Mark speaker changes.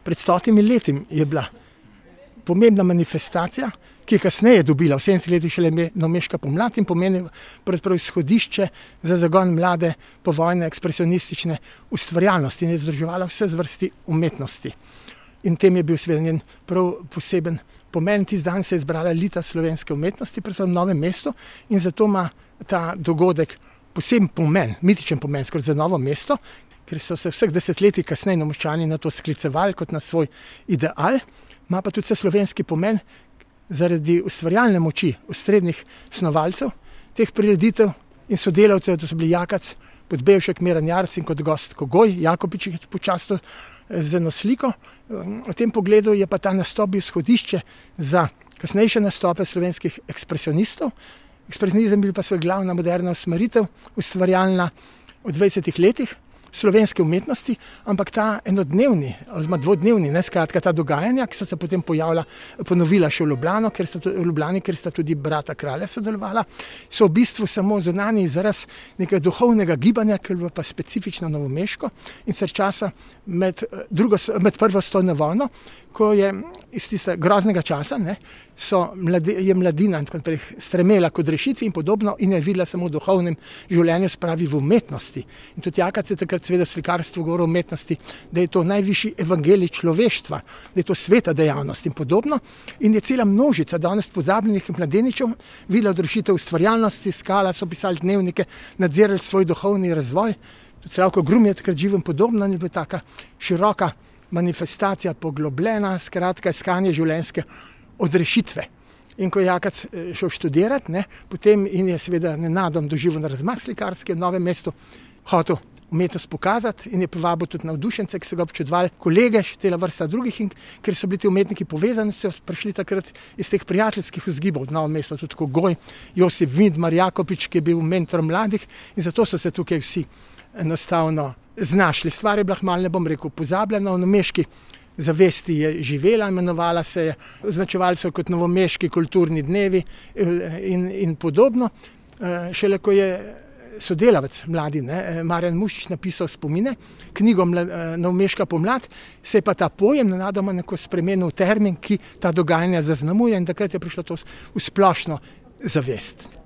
Speaker 1: Pred 100 leti je bila pomembna manifestacija, ki je kasneje dobila v 70 letih šele Novomeška pomlad in pomeni pravzaprav izhodišče za zagon mlade povojne ekspresionistične ustvarjalnosti in je združevala vse zvrsti umetnosti. In tem je bil seveda njen prav poseben pomen. Tisti dan se je zbrala elita slovenske umetnosti, predvsem v Novem mestu, in zato ima ta dogodek poseben pomen, mitičen pomen skoraj za Novo mesto, ker so se vseh desetletij kasneje Novomeščani na to sklicevali kot na svoj ideal. Ima pa tudi vse slovenski pomen zaradi ustvarjalne moči osrednjih snovalcev teh prireditev in sodelavcev, to so bili Jakac, Podbevšek, Miran Jarc in kot gost Kogoj, Jakopič je počastil z eno sliko. V tem pogledu je pa ta nastop bil izhodišče za kasnejše nastope slovenskih ekspresionistov. Ekspresionizem bil pa svoj glavna moderna usmeritev, ustvarjalna v 20 letih slovenske umetnosti, ampak ta enodnevni, oziroma dvodnevni, skratka ta dogajanja, ki so se potem ponovila še v Ljubljani, ker sta tudi brata kralja sodelovala, so v bistvu samo zunanji izraz nekega duhovnega gibanja, ki je bilo pa specifično novomeško in se časa med prvo svetovno vojno, ko je iz tistega groznega časa, je mladina in tako naprej stremela k odrešitvi in podobno in je videla samo v duhovnem življenju, spravi v umetnosti. In tudi Jakac je takrat seveda slikarstvo govoril o umetnosti, da je to najvišji evangelij človeštva, da je to sveta dejavnost in podobno. In je cela množica danes pozabljenih mladeničev videla odrešitev ustvarjalnosti, skala, so pisali dnevnike, nadzirali svoj duhovni razvoj. Tudi Slavko Grum je takrat živel podobno in je bila taka široka manifestacija, poglobljena, skratka iskanje življenjske odrešitve. In ko je Jakac šel študirati, potem in je seveda nenadoma doživel razmah slikarski v Novem mestu, hotel umetnost pokazati in je povabil tudi navdušence, ki so ga občudovali, kolege, še cela vrsta drugih, in ker so bili ti umetniki povezani, so prišli takrat iz teh prijateljskih vzgibov v Novem mestu, tudi Kogoj, Josip Vidmar, Jakopič, ki je bil mentor mladih, in zato so se tukaj vsi enostavno znašli. Stvar je bila malo, ne bom rekel, pozabljena, v novomeški zavesti je živela, imenovala se je, označevali so kot novomeški kulturni dnevi in podobno. Šele ko je sodelavec mladi, Marjan Mušič, napisal spomine, knjigo Novomeška pomlad, se je pa ta pojem nenadoma spremenil v termin, ki ta dogajanja zaznamuje, in takrat je prišlo to v splošno zavest.